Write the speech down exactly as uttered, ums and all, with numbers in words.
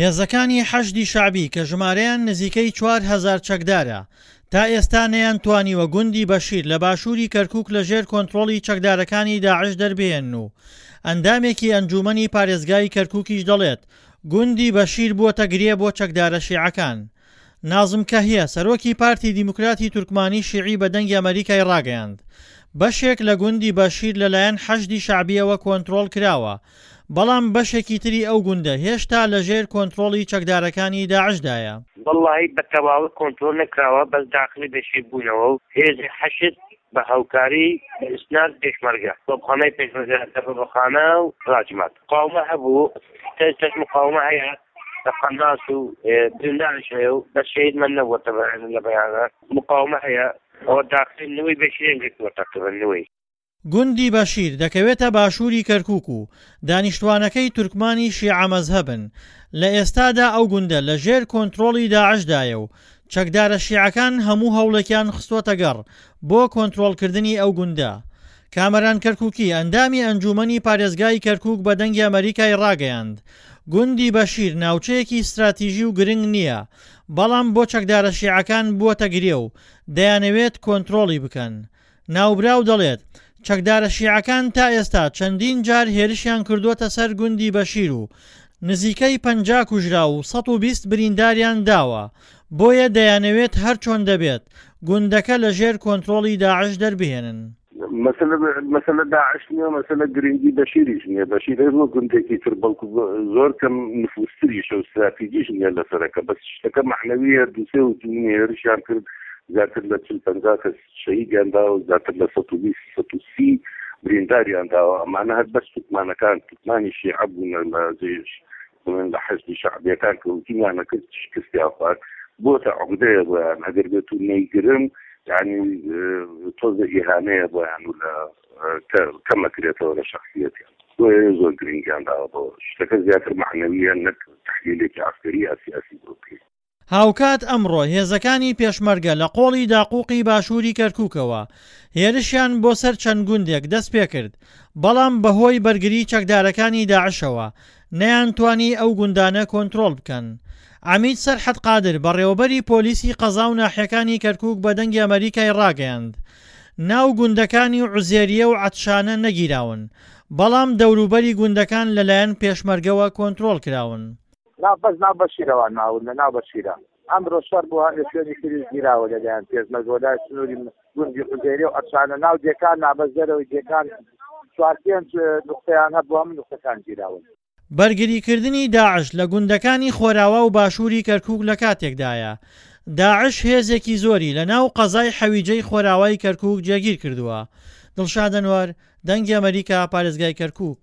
هێزەکانی حەشدی شەعبی کە ژمارەیان نزیکەی چوار هەزار چەکدارە، تا ئێستا نەیانتوانیوە گوندی بەشیر لە باشووری کەرکوک لەژێر کۆنترۆڵی چەکدارەکانی داعش دەربهێنن و ئەندامێکی ئەنجوومەنی پارێزگای کەرکوکیش دەڵێت، گوندی بەشیر بووەتە گرێ بۆ چەکدارە شیعەکان. نازم کەهیە، سەرۆکی پارتی دیموکراتی تورکمانی شیعی بە دەنگی ئەمەریکای ڕاگەیاند، بەشێک لە گوندی بەشیر لەلایەن حەشدی شەعبییەوە کۆنترۆڵ کراوە، بەڵام بەشێکی تری ئەو گوندە هێشتا لەژێر کۆنترۆڵی چەکدارەکانی داعشدایە. وەڵاهی بە تەواوی کۆنترۆڵ نەکراوە، بەس داخلی بەشیر بوونەوە و هێزی حەشد بە هاوکاری بە ئیسناد پێشمەرگە، تۆپخانەی پێشمەرگە، دەبەبەخانە و ڕاجمات. مقاومە هەبوو، تا ئێستاش مقاومە هەیە لە قەناس و برینداریش هەیە و بەس شەهیدمان نەبووە تەبعەن لە بەیانە مقاومە هەیە، ئەوە داخلی نوێی بەشیریان گرتووە تەقریبەن نوێی. گوندی بەشیر دەکەوێتە باشووری کەرکوک و دانیشتوانەکەی تورکمانی شیعە مەزهەبن، لە ئێستادا ئەو گوندە لە ژێر کۆنترۆڵی داعشدایە و چەکدارە شیعەکان هەموو هەوڵێکیان خستووەتەگەڕ بۆ کۆنترۆڵکردنی ئەو گوندە. کامەران کەرکوکی، ئەندامی ئەنجوومەنی پارێزگای کەرکوک بە دەنگی ئەمەریکای ڕاگەیاند، گوندی بەشیر ناوچەیەکی ستراتیژی و گرنگ نییە، بەڵام بۆ چەکدارە شیعەکان بووەتە گرێ و دەیانەوێت کۆنترۆڵی بکەن. ناوبراو دەڵێت، چەکدارە شیعەکان تا ئێستا چەندین جار هێرشیان کردووەتە سەر گوندی بەشیر و نزیکەی پەنجا کوژراو و سەد و بیست برینداریان داوە، بۆیە دەیانەوێت هەرچۆن دەبێت گوندەکە لە ژێر کۆنترۆڵی داعش دەربهێنن. مەسەلە مەسەلە داعش نییە، مەسەلە گرنگی بەشیریش نییە. بەشیر هەر وەک گوندێکی تر، بەڵکو زۆر کەم نفوستریشە و ستراتیجیش نییە لەسەرەکە، بەس شتەکە مەعنەویە. دوو سێ هجومی هێرشیان کرد، زیاتر لە چل پەنجا کەس شەهیدیان داوە، زیاتر لە سەد و بیست سەد و سی برینداریان داوە. ئەمانە هەر بەس تورکمانەکان، تورکمانی شیعە بوونە لە جێش بڵێن لە حەشدی شەعبیەکان کە هجومیانە کرد شکستیان خوارد، بۆتە عقدەیە بۆیان. ئەگەر بێت و نەیگرن یعنی تۆزە ئیهانەیە بۆیان و لە کەمەکرێتەوە لە شخصیەتیان، بۆیە زۆر گرنگیان داوە بۆ شتەکە، زیاتر مەعنەویە نەک تحلیلێکی عەسکەری یا سیاسی بۆ بکەین. هاوکات ئەمڕۆ هێزەکانی پێشمەرگە لە قۆڵی داقوقی باشووری کەرکوکەوە هێرشیان بۆ سەر چەند گوندێک دەستپێکرد، بەڵام بەهۆی بەرگری چەکدارەکانی داعشەوە نەیانتوانی ئەو گوندانە کۆنترۆڵ بکەن. عەمید سەرحەد قادر بەڕێوەبەری پۆلیسی قەزا و ناحیەکانی کەرکوک بە دەنگی ئەمەریکای ڕاگەیاند، ناو گوندەکانی عوزێریە و عەتشانە نەگیراون، بەڵام دەوروبەری گوندەکان لەلایەن پێشمەرگەوە کۆنترۆڵ کراون. ناو بەس ناو بەشیرەوە ناون لە ناو بەشیرە ئەمڕۆ شەڕ بوو، هەندێک شوێنی تریش گیراوە لەلایەن پێشمەرگەوە لای سنووری گوندی عوزێریە و عەتشانە ناو دێکان نابەس دەرەوەی دێکان چوار پێنج نوقتەیان هەبوو، هەموو نوقتەکان گیراون. بەرگریکردنی داعش لە گوندەکانی خۆراوا و باشووری کەرکوک لە کاتێکدایە، داعش هێزێکی زۆری لە ناو قەزای حەویجەی خۆراوای کەرکوک جێگیر کردووە. دڵشاد ئەنوەر، دەنگی ئەمەریکا، پارێزگای کەرکوک.